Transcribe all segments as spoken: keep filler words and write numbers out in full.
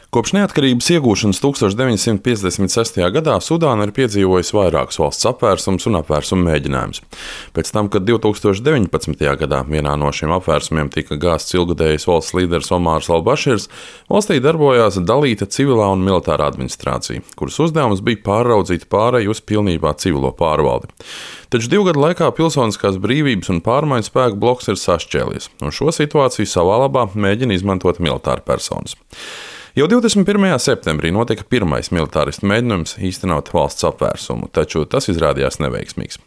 Kopš neatkarības iegūšanas tūkstoš deviņsimt piecdesmit sestajā gadā Sudāna ir piedzīvojusi vairākus valsts apvērsums un apvērsuma mēģinājumus. Pēc tam, kad divtūkstoš deviņpadsmitajā gadā vienā no šiem apvērsumiem tika gāzts ilgadējais valsts līderis Omārs al-Baširs, valstī darbojās dalīta civilā un militārā administrācija, kuras uzdevums bija pārraudzīt pāreju uz pilnībā civilo pārvaldi. Taču divu gadu laikā pilsoniskās brīvības un pārmaiņu spēku bloks ir sašķēlies, un šo situāciju savā labā mēģina izmantot militāri personas. Jau divdesmit pirmajā septembrī notika pirmais militāristu mēģinājums īstenot valsts apvērsumu, taču tas izrādījās neveiksmīgs.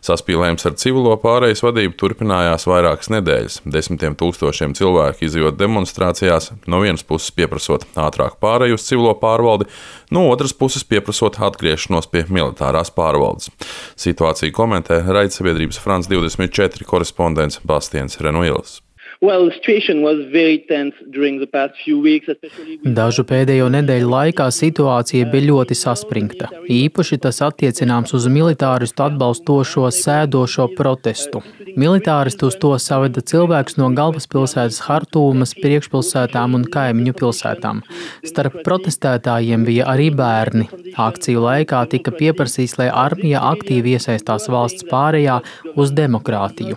Saspīlējums ar civilo pārejas vadību turpinājās vairākas nedēļas. Desmitiem tūkstošiem cilvēku izjot demonstrācijās, no vienas puses pieprasot ātrāku pāreju uz civilo pārvaldi, no otras puses pieprasot atgriešanos pie militārās pārvaldes. Situāciju komentē raidsabiedrības France divdesmit četri korespondents Bastiens Renuils. Well, the situation was very tense during the past few weeks, especially with... Dažu pēdējo nedēļu laikā situācija bija ļoti saspringta. Īpaši tas attiecināms uz militāristu atbalstošo sēdošo protestu. Militāristi uz to saveda cilvēkus no galvaspilsētas Hartūmas, priekšpilsētām un kaimiņu pilsētām. Starp protestētājiem bija arī bērni. Akciju laikā tika pieprasīts, lai armija aktīvi iesaistās valsts pārējā uz demokrātiju.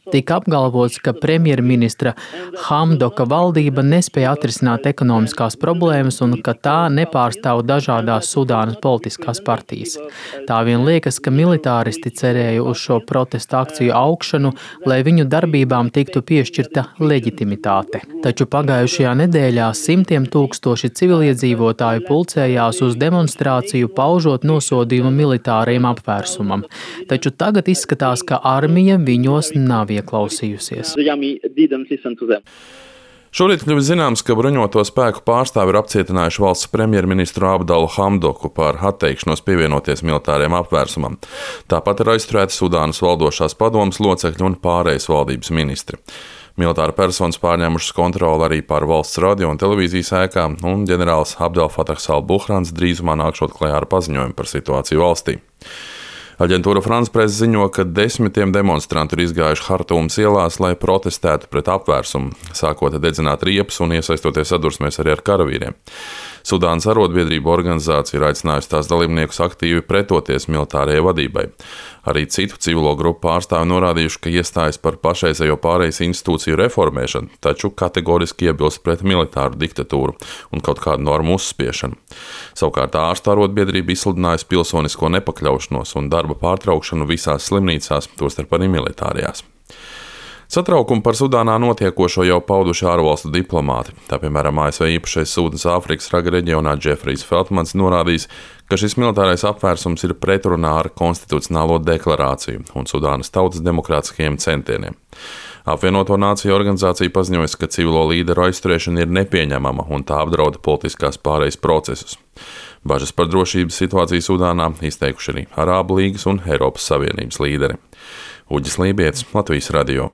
Tika apgalvots, ka premjerministra Hamdoka valdība nespēja atrisināt ekonomiskās problēmas un ka tā nepārstāv dažādās Sudānas politiskās partijas. Tā vien liekas, ka militāristi cerēja uz šo protesta akciju augšanu, lai viņu darbībām tiktu piešķirta leģitimitāte. Taču pagājušajā nedēļā simtiem tūkstoši civiliedzīvotāju pulcējās uz demonstrāciju, paužot nosodījumu militārajam apvērsumam. Taču tagad izskatās, ka armija viņos nav ieklausījusies. Šorīt kļuvis zināms, ka bruņoto spēku pārstāvi ir apcietinājuši valsts premjerministru Abdalu Hamdoku par atteikšanos pievienoties militāriem apvērsumam. Tāpat ir aizturēti Sudānas valdošās padomes locekļi un pārējas valdības ministri. Militāra personas pārņēmušas kontroli arī pār valsts radio un televīzijas ēkām, un ģenerālis Abdel Fatahs al-Buhrans drīzumā nākšot klajā ar paziņojumu par situāciju valstī. Aģentūra France Press ziņo, ka desmitiem demonstrantu ir izgājuši Hartūmas ielās, lai protestētu pret apvērsumu, sākot dedzināt riepas un iesaistoties sadursmēs arī ar karavīriem. Sudānas arotbiedrība organizācija ir aicinājusi tās dalībniekus aktīvi pretoties militārajai vadībai. Arī citu civilo grupu pārstāvi norādījuši, ka iestājas par pašreizējo pārejas institūciju reformēšanu, taču kategoriski iebilst pret militāru diktatūru un kaut kādu normu uzspiešanu. Savukārt ārstu arotbiedrība izsludinājusi pilsonisko nepakļaušanos un darba pārtraukšanu visās slimnīcās, tostarp arī militārajās. Satraukumu par Sudānā notiekošo jau pauduši ārvalstu diplomāti. Tā piemēram A S V īpašais sūtnis Āfrikas raga reģionā Džefrijs Feltmans norādījis, ka šis militārais apvērsums ir pretrunā ar konstitucionālo deklarāciju un Sudānas tautas demokrātiskajiem centieniem. Apvienoto Nāciju organizācija paziņojusi, ka civilo līderu aizturēšana ir nepieņemama un tā apdrauda politiskās pārejas procesus. Bažas par drošības situāciju Sudānā izteikuši arī Arābu līgas un Eiropas Savienības līderi. Uģis Lībietis, Latvijas radio.